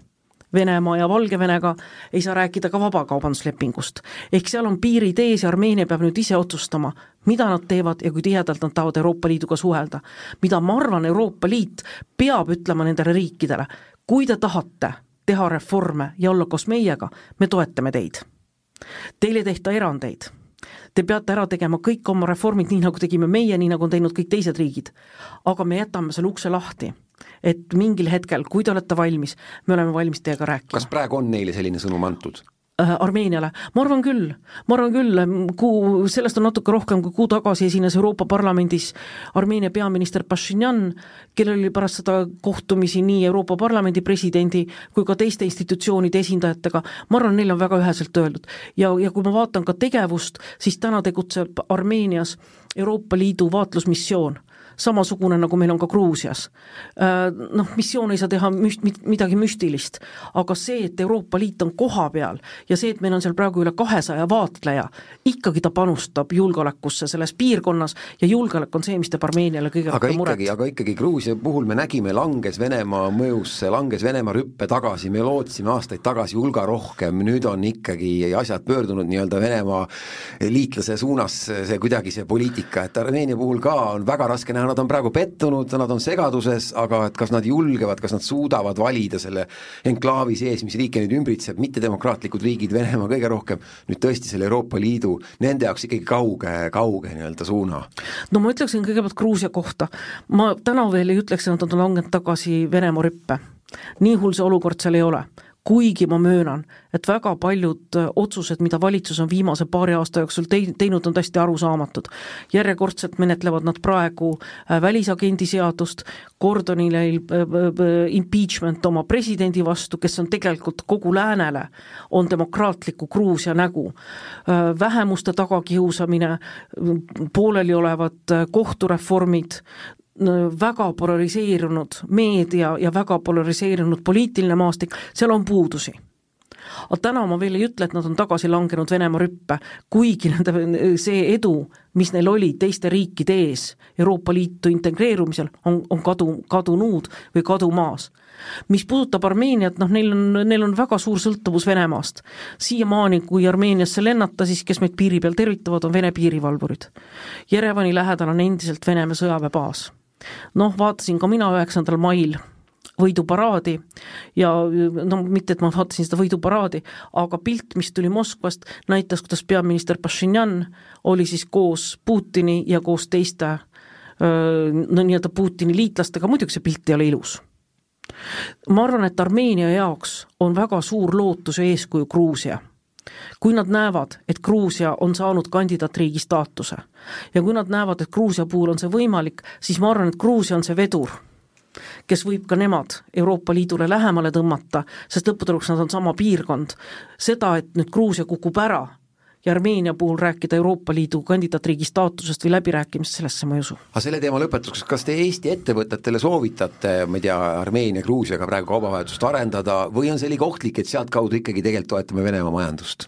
Venemaa ja Valgevenega, ei saa rääkida ka vabakaubanduslepingust. Ehk seal on piirid ees ja Armeenia peab nüüd ise otsustama, mida nad teevad ja kui tihedalt nad tahavad Euroopa Liiduga suhelda. Mida ma arvan, Euroopa Liit peab ütlema nendele riikidele, kui te tahate teha reforme ja olla koos meiega, me toetame teid. Teil ei tehta erandeid. Te peate ära tegema kõik oma reformid nii, nagu tegime meie, nii nagu on teinud kõik teised riigid. Aga me jätame selle ukse lahti, et mingil hetkel, kui te olete valmis, me oleme valmis teiega rääkima. Kas praegu on neile selline sõnum antud? Armeeniale. Ma arvan küll, sellest on natuke rohkem kui kuu tagasi esines Euroopa Parlamendis Armeenia peaminister Pashinyan, kellel oli pärast seda kohtumisi nii Euroopa Parlamendi presidendi kui ka teiste institutsioonide esindajatega. Ma arvan, neil on väga üheselt öeldud. Ja kui ma vaatan ka tegevust, siis täna tegutseb Armeenias Euroopa Liidu vaatlusmissioon. Samasugune, nagu meil on ka Gruusias. Missioon ei saa teha midagi müstilist, aga see, et Euroopa Liit on koha peal ja see, et meil on seal praegu üle 200 vaatleja, ikkagi ta panustab julgeolekusse selles piirkonnas ja julgeolek on see, mis teeb Armeeniale kõige rohkem muret. Aga ikkagi Gruusia puhul me nägime, langes Venemaa mõjusse, langes Venemaa rüppe tagasi, me lootsime aastaid tagasi hulga rohkem, nüüd on ikkagi asjad pöördunud nii-öelda Venemaa liitlase suunas, see kuidagi see poliitika, et Armeenia puhul ka on väga raske näha, nad on praegu pettunud, nad on segaduses, aga et kas nad julgevad, kas nad suudavad valida selle enklaavi sees, mis riike nüüd ümbritseb, mitte demokraatlikud riigid, Venemaa kõige rohkem, nüüd tõesti selle Euroopa Liidu, nende jaoks ikkagi kauge nii-öelda suuna. Ma ütleksin kõigepealt Gruusia kohta. Ma täna veel ei ütleks, et nad on langenud tagasi Venemaa rüppe. Nii hull see olukord seal ei ole. Kuigi ma möönan, et väga paljud otsused, mida valitsus on viimase paari aasta jooksul teinud, on täiesti arusaamatud. Järjekordselt menetlevad nad praegu välisagendi seadust, Gordonile impeachment oma presidendi vastu, kes on tegelikult kogu läänele, on demokraatliku Gruusia nägu. Vähemuste tagakiusamine, pooleli olevad kohtureformid, väga polariseerunud meedia ja väga polariseerunud poliitiline maastik, seal on puudusi. Aga täna ma veel ei ütle, et nad on tagasi langenud Venemaa rüppe, kuigi see edu, mis neil oli teiste riikide ees Euroopa Liitu integreerumisel, on kadunud või kadumaas. Mis puudutab Armeeniat, neil on väga suur sõltuvus Venemaast. Siiamaani, kui Armeeniasse lennata, siis kes meid piiri peal tervitavad, on Vene piirivalvurid. Jerevani lähedal on endiselt Venemaa sõjaväebaas. Vaatasin ka mina 9. mail võiduparaadi ja mitte, et ma vaatasin seda võiduparaadi, aga pilt, mis tuli Moskvast, näitas, kuidas peaminister Pashinyan oli siis koos Putini ja koos teiste nii-öelda Putini liitlastega, muidugi see pilt ei ole ilus. Ma arvan, et Armeenia jaoks on väga suur lootus ja eeskuju Gruusia. Kui nad näevad, et Gruusia on saanud kandidaatriigi staatuse ja kui nad näevad, et Gruusia puhul on see võimalik, siis ma arvan, et Gruusia on see vedur, kes võib ka nemad Euroopa Liidule lähemale tõmmata, sest lõpputuloks nad on sama piirkond. Seda, et nüüd Gruusia kukub ära ja Armeenia puhul rääkida Euroopa Liidu kandidaatriigi staatusest või läbirääkimist, sellesse ma ei usu. Aga selle teema lõpetuseks, kas te Eesti ettevõtetele soovitate, ma ei tea, Armeenia, Gruusiaga praegu kaubavahetust arendada või on see liiga ohtlik, et sealt kaudu ikkagi tegelikult toetame Venemaa majandust?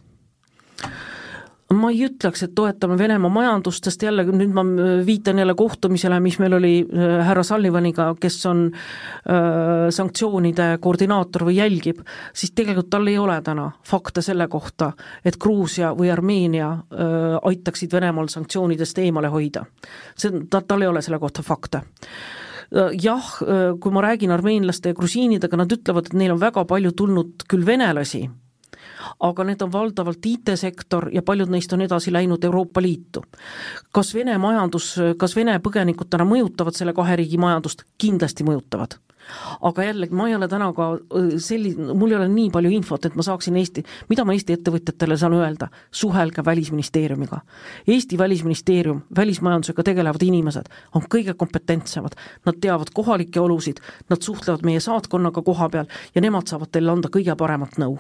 Ma ei ütleks, et toetame Venemaa majandust, sest jälle nüüd ma viitan jälle kohtumisele, mis meil oli härra Sullivaniga, kes on sanktsioonide koordinaator või jälgib, siis tegelikult tal ei ole täna fakte selle kohta, et Gruusia või Armeenia aitaksid Venemaal sanktsioonidest eemale hoida. Tal ei ole selle kohta fakte. jah, kui ma räägin armeenlaste ja grusiinidega, nad ütlevad, et neil on väga palju tulnud küll venelasi, aga need on valdavalt IT-sektor ja paljud neist on edasi läinud Euroopa Liitu. Kas Vene põgenikud täna mõjutavad selle 2 riigi majandust? Kindlasti mõjutavad. Aga jällegi, ma ei ole täna ka mul ei ole nii palju infot, et ma saaksin mida ma Eesti ettevõtjatele saan öelda? Suhelge Välisministeeriumiga. Eesti Välisministeerium, välismajandusega tegelevad inimesed on kõige kompetentsemad. Nad teavad kohalikke olusid, nad suhtlevad meie saatkonnaga koha peal ja nemad saavad teile anda kõige paremat nõu.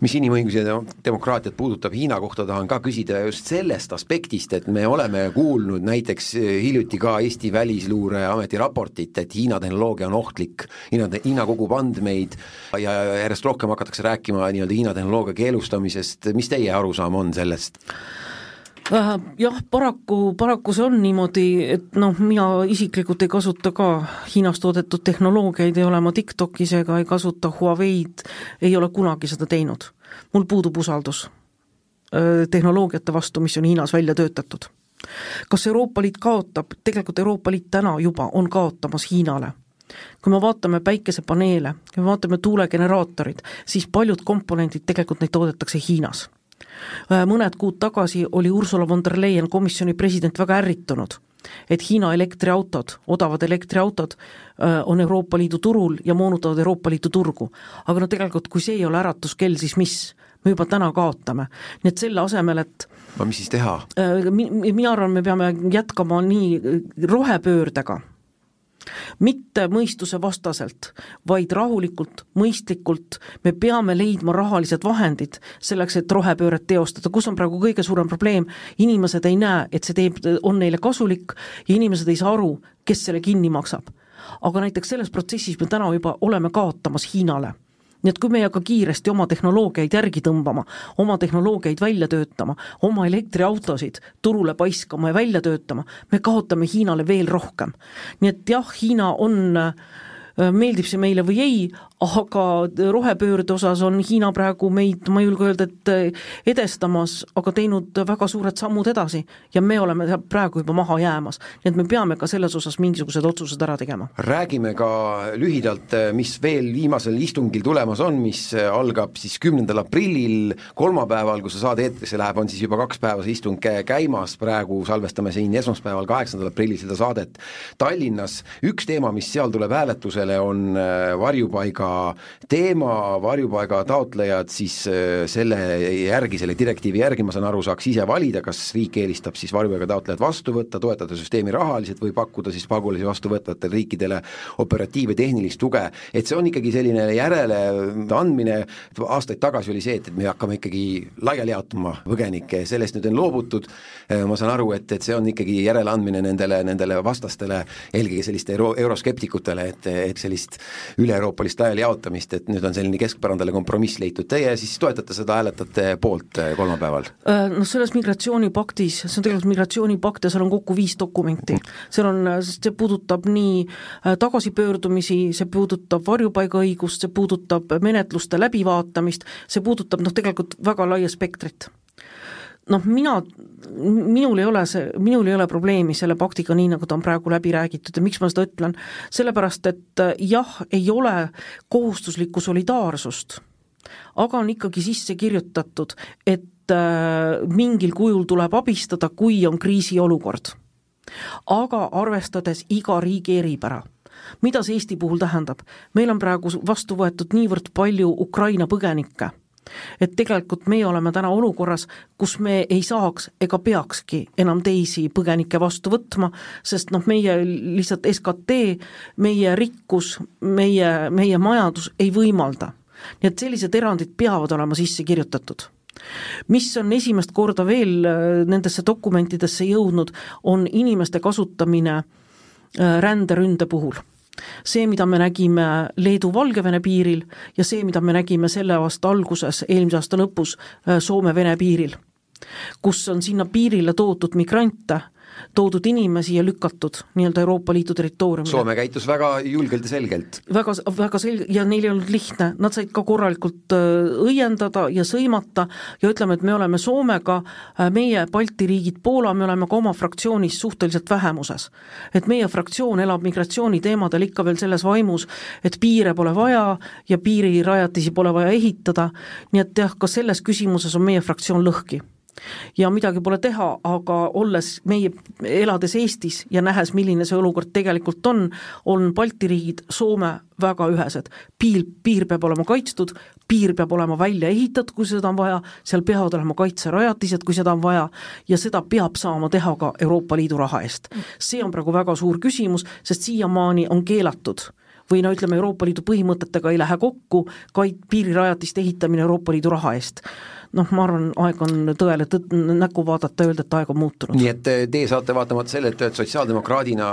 Mis inimõigusi ja demokraatiat puudutab Hiina kohta, tahan ka küsida just sellest aspektist, et me oleme kuulnud näiteks hiljuti ka Eesti Välisluureameti raportit, et Hiina tehnoloogia on ohtlik, Hiina kogub andmeid ja järjest rohkem hakatakse rääkima nii-öelda Hiina tehnoloogia keelustamisest. Mis teie arusaam on sellest? Jah, paraku see on niimoodi, et mina isiklikult ei kasuta ka Hiinas toodetud tehnoloogiaid, ei ole ma TikTokis ega ei kasuta Huawei'd, ei ole kunagi seda teinud. Mul puudub usaldus tehnoloogiate vastu, mis on Hiinas välja töötatud. Kas Euroopa Liit kaotab? Tegelikult Euroopa Liit täna juba on kaotamas Hiinale. Kui me vaatame päikesepaneele, kui me vaatame tuulegeneraatorid, siis paljud komponendid tegelikult neid toodetakse Hiinas. Mõned kuud tagasi oli Ursula von der Leyen, komisjoni president, väga ärritunud, et Hiina elektriautod, odavad elektriautod on Euroopa Liidu turul ja moonutavad Euroopa Liidu turgu. Aga tegelikult, kui see ei ole äratuskell, siis mis? Me juba täna kaotame. Nii et selle asemel, et mis siis teha? Mina arvan, me peame jätkama nii rohepöördega, mitte mõistuse vastaselt, vaid rahulikult, mõistlikult. Me peame leidma rahalised vahendid selleks, et rohepööret teostada. Kus on praegu kõige suurem probleem? Inimesed ei näe, et see on neile kasulik ja inimesed ei saa aru, kes selle kinni maksab. Aga näiteks selles protsessis me täna juba oleme kaotamas Hiinale. Nii et kui me ei hakka kiiresti oma tehnoloogiaid järgi tõmbama, oma tehnoloogiaid välja töötama, oma elektriautosid turule paiskama ja välja töötama, me kaotame Hiinale veel rohkem. Nii et jah, Hiina on, meeldib see meile või ei, aga rohepöörde osas on Hiina praegu meid, ma julge öelda, et edestamas, aga teinud väga suured sammud edasi ja me oleme praegu juba maha jäämas. Nii et me peame ka selles osas mingisugused otsused ära tegema. Räägime ka lühidalt, mis veel viimasel istungil tulemas on, mis algab siis 10. aprillil, kolmapäeval, kui see saade eetrisse läheb, on siis juba 2 päevas istung käimas, praegu salvestame siin esmaspäeval 8. aprillil seda saadet Tallinnas. Üks teema, mis seal tuleb hääletusele, on varjupaiga teema, varjupaiga taotlejad siis selle direktiivi järgi, ma saan aru, saaks ise valida, kas riik eelistab siis varjupaiga taotlejad vastu võtta, toetada süsteemi rahaliselt või pakkuda siis pagulasi vastu võtvatele riikidele operatiiv- ja tehnilist tuge. Et see on ikkagi selline järele andmine, aastaid tagasi oli see, et me hakkame ikkagi laiali jaotuma põgenikke, sellest nüüd on loobutud, ma saan aru, et see on ikkagi järele andmine nendele vastastele, eelkõige selliste euroskeptikutele, et sellist üle-euroopalist laiali jaotamist, et nüüd on selline keskpärandale kompromiss leitud. Teie siis toetate seda, hääletate poolt kolmapäeval? Selles migratsioonipaktis, see on tegelikult migratsioonipakt ja seal on kokku 5 dokumenti. See puudutab nii tagasipöördumisi, see puudutab varjupaigaõigust, see puudutab menetluste läbivaatamist, see puudutab tegelikult väga laia spektrit. Minul ei ole probleemi selle paktiga nii, nagu ta on praegu läbi räägitud ja miks ma seda ütlen? Sellepärast, et jah, ei ole kohustuslikku solidaarsust, aga on ikkagi sisse kirjutatud, et mingil kujul tuleb abistada, kui on kriisiolukord. Aga arvestades iga riigi eripära. Mida see Eesti puhul tähendab? Meil on praegu vastu võetud niivõrd palju Ukraina põgenikke, et tegelikult meie oleme täna olukorras, kus me ei saaks ega peakski enam teisi põgenikke vastu võtma, sest meie lihtsalt SKT, meie rikkus, meie majandus ei võimalda. Nii et sellised erandid peavad olema sisse kirjutatud. Mis on esimest korda veel nendesse dokumentidesse jõudnud, on inimeste kasutamine ränderünde puhul. See, mida me nägime Leedu-Valgevene piiril ja see, mida me nägime selle aasta alguses, eelmise aasta lõpus Soome-Vene piiril, kus on sinna piirile toodud migrante toodud inimesi ja lükatud nii-öelda Euroopa Liidu territooriumile. Soome käitus väga julgelt ja selgelt. Väga selge ja neil ei olnud lihtne, nad said ka korralikult õiendada ja sõimata ja ütleme, et me oleme Soomega, meie Balti riigid, Poola, me oleme ka oma fraktsioonis suhteliselt vähemuses. Et meie fraktsioon elab migratsiooniteemadel ikka veel selles vaimus, et piire pole vaja ja piirirajatisi pole vaja ehitada, nii et jah, ka selles küsimuses on meie fraktsioon lõhki. Ja midagi pole teha, aga olles meie elades Eestis ja nähes, milline see olukord tegelikult on Balti riigid, Soome väga ühesed. Piir peab olema kaitstud, piir peab olema välja ehitatud, kui seda on vaja, seal peavad olema kaitserajatised, kui seda on vaja, ja seda peab saama teha ka Euroopa Liidu raha eest. See on praegu väga suur küsimus, sest siiamaani on keelatud või ütleme, Euroopa Liidu põhimõtetega ei lähe kokku piirirajatiste ehitamine Euroopa Liidu raha eest. Ma arvan, aeg on tõele näkku vaadata ja öelda, et aeg on muutunud. Nii et teie saate vaatamata selle, et sotsiaaldemokraadina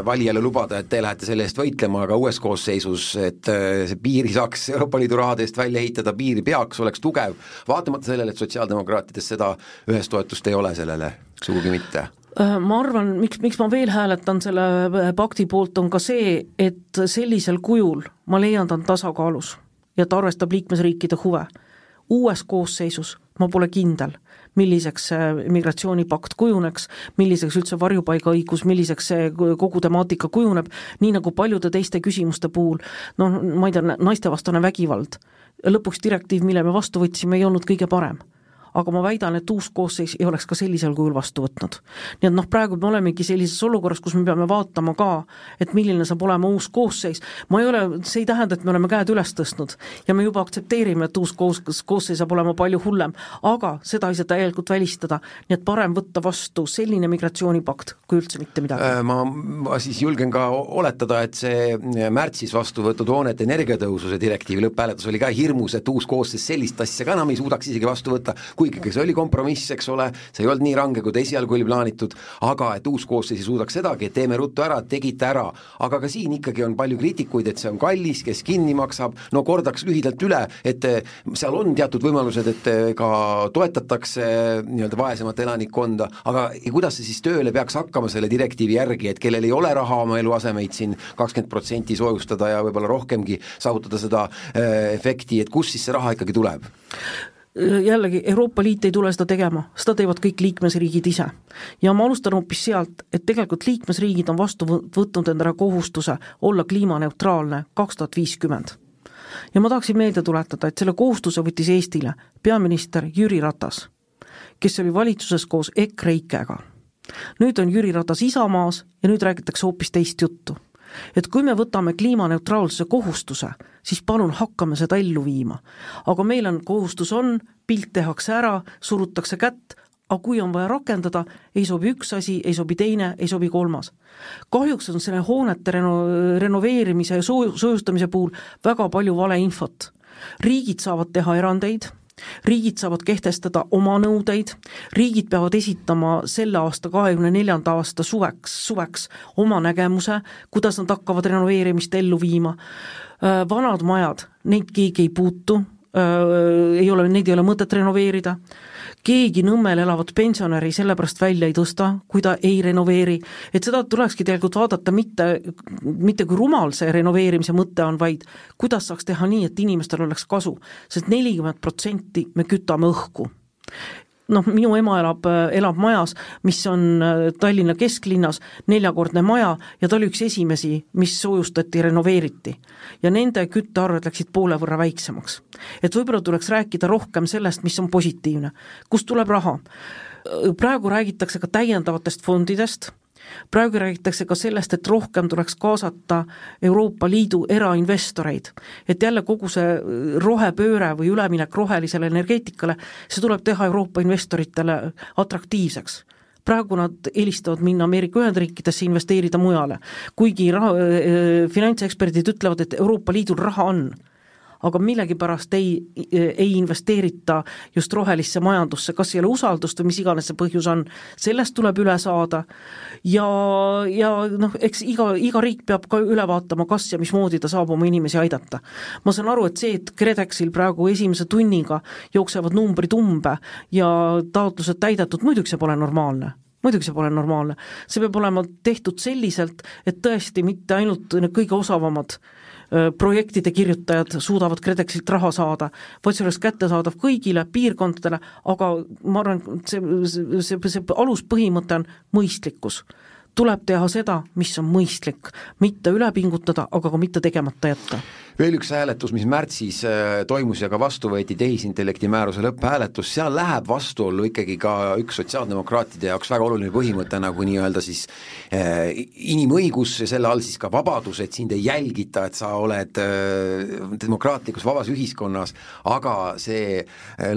valijale lubada, et te lähete selle eest võitlema, aga uues koosseisus, et see piiri saaks Euroopa Liidu rahade eest välja ehitada, piiri peaks, oleks tugev, vaatamata sellele, et sotsiaaldemokraatides seda ühest toetust ei ole sellele, sugugi mitte. Ma arvan, miks ma veel hääletan selle pakti poolt on ka see, et sellisel kujul ma leian ta on tasakaalus ja ta arvestab liikmesriikide huve. Uues koosseisus ma pole kindel, milliseks see migratsioonipakt kujuneks, milliseks üldse varjupaigaõigus, milliseks see kogu temaatika kujuneb, nii nagu paljude teiste küsimuste puhul, ma ei tea, naistevastane vägivald. Lõpuks direktiiv, mille me vastu võtsime, ei olnud kõige parem. Aga ma väidan, et uus koosseis ei oleks ka sellisel kujul vastu võtnud. Nii et praegu me olemegi sellises olukorras, kus me peame vaatama ka, et milline saab olema uus koosseis. See ei tähenda, et me oleme käed üles tõstnud ja me juba aktsepteerime, et uus koosseis saab olema palju hullem, aga seda ei saa täielikult välistada, nii et parem võtta vastu selline migratsioonipakt, kui üldse mitte midagi. Ma siis julgen ka oletada, et see märtsis vastu võetud hoonete energiatõususe direktiivi lõpphääletus oli ka hirmus, et uus koosseis sellist asja ka enam ei suudaks isegi vastu võtta, kuigi see oli kompromiss, eks ole, see ei olnud nii range, kui esialgu oli plaanitud, aga et uus koosseis ei suudaks sedagi, et teeme ruttu ära, tegite ära, aga ka siin ikkagi on palju kriitikuid, et see on kallis, kes kinni maksab, kordaks lühidalt üle, et seal on teatud võimalused, et ka toetatakse nii-öelda vaesemat elanikkonda, aga kuidas see siis tööle peaks hakkama selle direktiivi järgi, et kellel ei ole raha oma eluasemeid siin 20% soojustada ja võib-olla rohkemgi saavutada seda efekti, et kus siis see raha ikkagi tuleb? Jällegi, Euroopa Liit ei tule seda tegema, seda teevad kõik liikmesriigid ise. Ja ma alustan hoopis sealt, et tegelikult liikmesriigid on vastu võtnud endale kohustuse olla kliimaneutraalne 2050. Ja ma tahaksin meelde tuletada, et selle kohustuse võttis Eestile peaminister Jüri Ratas, kes oli valitsuses koos EKREIKEga. Nüüd on Jüri Ratas Isamaas ja nüüd räägitakse hoopis teist juttu. Et kui me võtame kliimaneutraalsuse kohustuse, siis palun hakkame seda ellu viima. Aga meil on kohustus pilt tehakse ära, surutakse kätt, aga kui on vaja rakendada, ei sobi üks asi, ei sobi teine, ei sobi kolmas. Kahjuks on selle hoonete renoveerimise ja soojustamise puhul väga palju valeinfot. Riigid saavad teha erandeid, riigid saavad kehtestada oma nõudeid, riigid peavad esitama selle aasta 24. aasta suveks oma nägemuse, kuidas nad hakkavad renoveerimist ellu viima. Vanad majad, neid keegi ei puutu, neid ei ole mõtet renoveerida. Keegi Nõmmel elavat pensionäri sellepärast välja ei tõsta, kui ta ei renoveeri. Et seda tulekski tegelikult vaadata mitte kui rumal see renoveerimise mõte on, vaid kuidas saaks teha nii, et inimestel oleks kasu. Sest 40% me kütame õhku. Minu ema elab majas, mis on Tallinna kesklinnas, 4-kordne maja ja ta oli üks esimesi, mis soojustati, renoveeriti. Ja nende küttearved läksid poole võrra väiksemaks. Et võib-olla tuleks rääkida rohkem sellest, mis on positiivne. Kust tuleb raha? Praegu räägitakse ka täiendavatest fondidest, praegu räägitakse ka sellest, et rohkem tuleks kaasata Euroopa Liidu erainvestoreid, et jälle kogu see rohepööre või üleminek rohelisele energeetikale, see tuleb teha Euroopa investoritele atraktiivseks. Praegu nad eelistavad minna Ameerika Ühendriikidesse investeerida mujale, kuigi finantseksperdid ütlevad, et Euroopa Liidul raha on, aga millegipärast ei investeerita just rohelisse majandusse, kas ei ole usaldust või mis iganes see põhjus on, sellest tuleb üle saada ja eks iga riik peab ka üle vaatama, kas ja mismoodi ta saab oma inimesi aidata. Ma saan aru, et see, et Kredexil praegu esimese tunniga jooksevad numbrid umbe ja taotlused täidetud, muidugi see pole normaalne. muidugi see pole normaalne. See peab olema tehtud selliselt, et tõesti mitte ainult kõige osavamad projektide kirjutajad suudavad KredExilt raha saada, vaid see oleks kättesaadav kõigile piirkondadele, aga ma arvan, see aluspõhimõte on mõistlikkus. Tuleb teha seda, mis on mõistlik, mitte üle pingutada, aga ka mitte tegemata jätta. Veel üks hääletus, mis märtsis toimus ja ka vastu võeti tehisintellekti määruse lõpphääletus, seal läheb vastuollu ikkagi ka üks sotsiaaldemokraatide jaoks väga oluline põhimõte, nagu nii-öelda siis inimõigus ja selle all siis ka vabadus, et sind ei jälgita, et sa oled demokraatlikus vabas ühiskonnas, aga see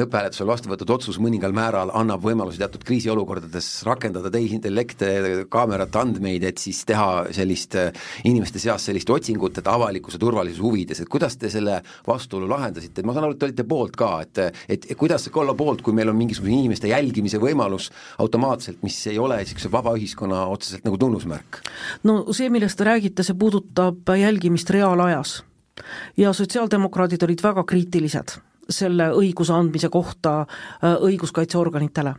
lõpphääletusel vastu võetud otsus mõningal määral annab võimalusi teatud kriisiolukordades rakendada tehisintellekte, kaamerate andmeid, et siis teha sellist inimeste seas sellist otsingut, et avalikkuse turvalisuse huvid et kuidas te selle vastuolu lahendasite? Ma saan aru, et te olite poolt ka, et kuidas olla poolt, kui meil on mingisugune inimeste jälgimise võimalus automaatselt, mis ei ole sellise vaba ühiskonna otseselt nagu tunnusmärk? No see, millest te räägite, see puudutab jälgimist reaalajas ja sotsiaaldemokraadid olid väga kriitilised selle õiguse andmise kohta õiguskaitseorganitele.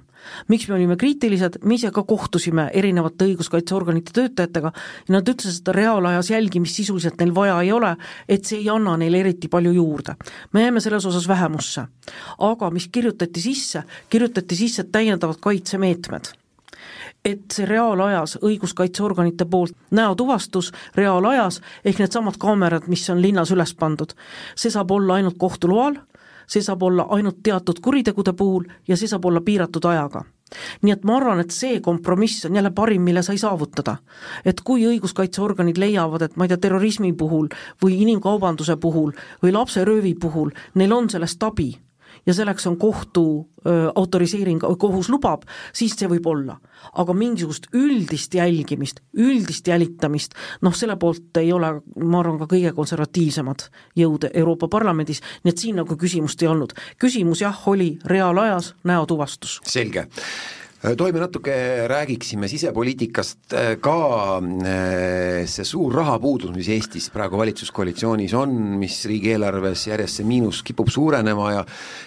Miks me olime kriitilised? Me ise ka kohtusime erinevate õiguskaitseorganite töötajatega ja nad ütlesid, et reaalajas jälgimist sisuliselt neil vaja ei ole, et see ei anna neile eriti palju juurde. Me jääme selles osas vähemusse. Aga mis kirjutati sisse täiendavad kaitsemeetmed. Et see reaalajas õiguskaitseorganite poolt näotuvastus reaalajas ehk need samad kaamerad, mis on linnas üles pandud, see saab olla ainult kohtuloal, see saab olla ainult teatud kuritegude puhul ja see saab olla piiratud ajaga. Nii et ma arvan, et see kompromiss on jälle parim, mille sai saavutada. Et kui õiguskaitseorganid leiavad, et ma ei tea, terrorismi puhul või inimkaubanduse puhul või lapseröövi puhul, neil on sellest abi ja selleks on kohtu autoriseering, kohus lubab, siis see võib olla. Aga mingisugust üldist jälgimist, üldist jälitamist, selle poolt ei ole, ma arvan, ka kõige konservatiivsemad jõud Euroopa Parlamendis, nii et siin nagu küsimust ei olnud. Küsimus jah, oli reaalajas näotuvastus. Selge. Toime natuke räägiksime sisepoliitikast ka see suur rahapuudus, mis Eestis praegu valitsuskoalitsioonis on, mis riigieelarves järjest see miinus kipub suurenema ja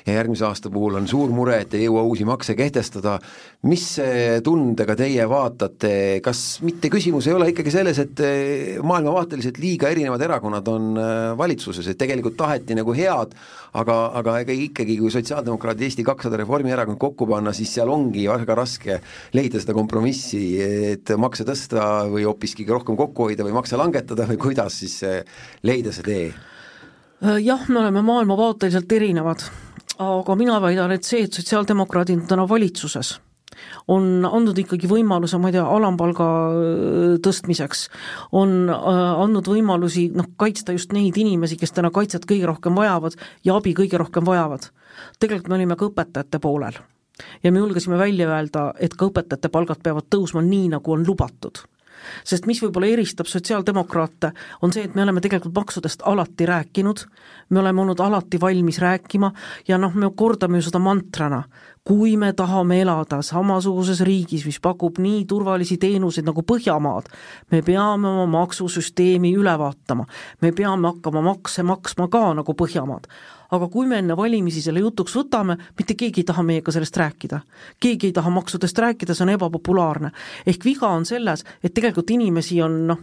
järgmise aasta puhul on suur mure, et ei jõua uusi makse kehtestada. Mis tundega teie vaatate, kas mitte küsimus ei ole ikkagi selles, et maailmavaateliselt liiga erinevad erakonnad on valitsuses, et tegelikult taheti nagu head, aga ikkagi kui sotsiaaldemokraadid Eesti 200 Reformierakond kokku panna, siis seal ongi väga raske leida seda kompromissi, et makse tõsta või hoopiski rohkem kokku hoida või makse langetada või kuidas siis leida see tee? Jah, me oleme maailmavaateliselt erinevad, aga mina väidan, et see, et sotsiaaldemokraadid täna valitsuses on andnud ikkagi võimaluse, ma ei tea, alampalga tõstmiseks, on andnud võimalusi kaitsta just neid inimesi, kes täna kaitset kõige rohkem vajavad ja abi kõige rohkem vajavad. Tegelikult me olime ka õpetajate poolel ja me julgesime välja öelda, et ka õpetajate palgad peavad tõusma nii, nagu on lubatud. Sest mis võib-olla eristab sotsiaaldemokraate, on see, et me oleme tegelikult maksudest alati rääkinud, me oleme olnud alati valmis rääkima ja me kordame ju seda mantrana. Kui me tahame elada samasuguses riigis, mis pakub nii turvalisi teenuseid nagu Põhjamaad, me peame oma maksusüsteemi üle vaatama, me peame hakkama makse maksma ka nagu Põhjamaad. Aga kui me enne valimisi selle jutuks võtame, mitte keegi ei taha meiega sellest rääkida. Keegi ei taha maksudest rääkida, see on ebapopulaarne. Ehk viga on selles, et tegelikult inimesi on,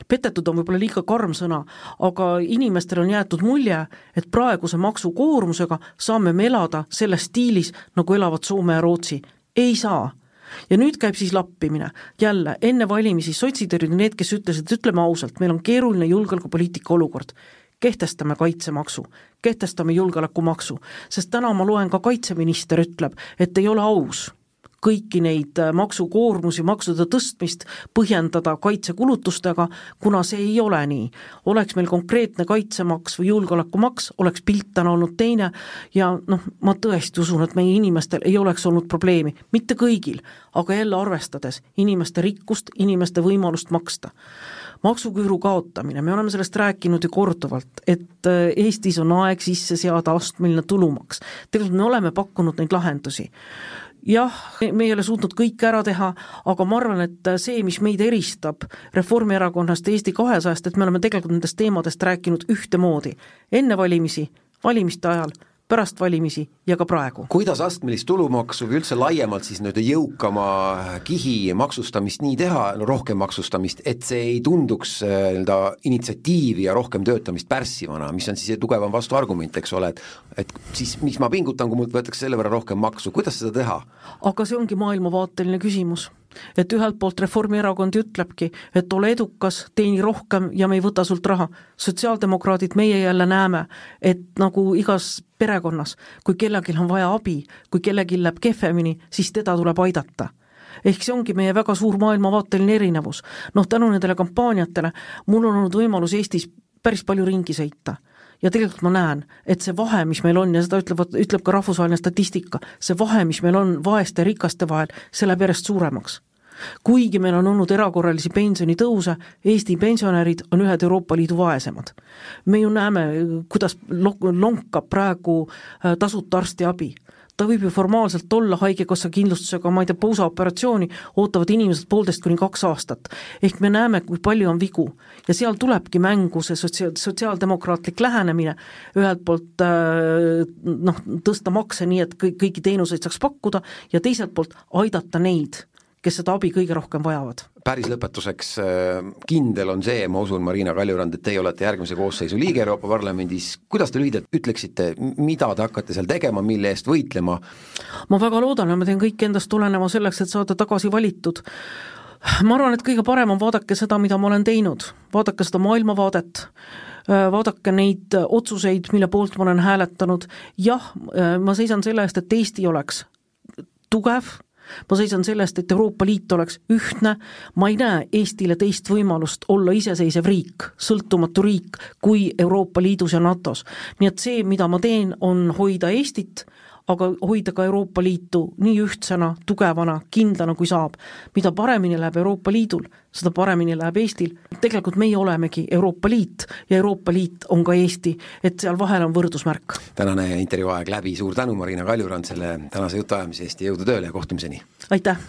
petetud on võib-olla liiga karm sõna, aga inimestel on jäetud mulje, et praeguse maksukoormusega saame me elada selles stiilis, nagu elavad Soome ja Rootsi. Ei saa. Ja nüüd käib siis lappimine. Jälle, enne valimisi sotsid olid need, kes ütlesid, et ütleme ausalt, meil on keeruline julgeolekupoliitika olukord. Kehtestame kaitsemaksu, kehtestame julgeolekumaksu, sest täna ma loen ka kaitseminister ütleb, et ei ole aus kõiki neid maksukoormusi, maksude tõstmist põhjendada kaitsekulutustega, kuna see ei ole nii. Oleks meil konkreetne kaitsemaks või julgeolekumaks, oleks pilt täna olnud teine ja ma tõesti usun, et meie inimestel ei oleks olnud probleemi, mitte kõigil, aga jälle arvestades inimeste rikkust, inimeste võimalust maksta. Maksuküüru kaotamine, me oleme sellest rääkinud ju korduvalt, et Eestis on aeg sisse seada astmeline tulumaks. Tegelikult me oleme pakkunud neid lahendusi. Jah, me ei ole suutnud kõik ära teha, aga ma arvan, et see, mis meid eristab Reformierakonnast Eesti 200-st, et me oleme tegelikult nendest teemadest rääkinud ühtemoodi. Enne valimisi, valimiste ajal, pärast valimisi ja ka praegu. Kuidas astmelist tulumaksu või üldse laiemalt siis nüüd jõukama kihi maksustamist nii teha, rohkem maksustamist, et see ei tunduks initsiatiivi ja rohkem töötamist pärssivana, mis on siis tugevam vastuargument, eks ole, et siis mis ma pingutan, kui mult võetakse selle võrra rohkem maksu, kuidas seda teha? Aga see ongi maailmavaateline küsimus. Et ühelt poolt Reformierakond ütlebki, et ole edukas, teeni rohkem ja me ei võta sult raha. Sotsiaaldemokraadid meie jälle näeme, et nagu igas perekonnas, kui kellelgi on vaja abi, kui kellelgi läheb kehvemini, siis teda tuleb aidata. Ehk see ongi meie väga suur maailmavaateline erinevus. Tänu nendele kampaaniatele mul on olnud võimalus Eestis päris palju ringi sõita. Ja tegelikult ma näen, et see vahe, mis meil on, ja seda ütleb ka rahvusvaheline statistika, see vahe, mis meil on vaeste ja rikaste vahel, see läheb järjest suuremaks. Kuigi meil on olnud erakorralisi pensionitõuse, Eesti pensionärid on ühed Euroopa Liidu vaesemad. Me ju näeme, kuidas lonkab praegu tasuta arstiabi. Ta võib ju formaalselt olla haigekassa kindlustusega, ma ei tea, pousaoperatsiooni ootavad inimesed 1,5–2 aastat. Ehk me näeme, kui palju on vigu. Ja seal tulebki mängu see sotsiaaldemokraatlik lähenemine, ühelt poolt tõsta makse nii, et kõiki teenuseid saaks pakkuda ja teiselt poolt aidata neid, kes seda abi kõige rohkem vajavad. Päris lõpetuseks kindel on see, ma usun, Marina Kaljurand, et teie olete järgmise koosseisu liige Euroopa Parlamendis. Kuidas te lühidalt ütleksite, mida te hakkate seal tegema, mille eest võitlema? Ma väga loodan ja ma teen kõik endast tulenema selleks, et saada tagasi valitud. Ma arvan, et kõige parem on vaadake seda, mida ma olen teinud. Vaadake seda maailmavaadet, vaadake neid otsuseid, mille poolt ma olen hääletanud. Jah, ma seisan selle eest, et Eesti oleks tugev, ma seisan sellest, et Euroopa Liit oleks ühtne, ma ei näe Eestile teist võimalust olla iseseisev riik, sõltumatu riik kui Euroopa Liidus ja NATOs. Nii et see, mida ma teen, on hoida Eestit, aga hoida ka Euroopa Liitu nii ühtsena, tugevana, kindlana kui saab. Mida paremini läheb Euroopa Liidul, seda paremini läheb Eestil. Tegelikult meie olemegi Euroopa Liit ja Euroopa Liit on ka Eesti, et seal vahel on võrdusmärk. Tänane intervjuu aeg läbi, suur tänu Marina Kaljurand selle tänase jutuajamise eest ja jõudu tööle ja kohtumiseni! Aitäh!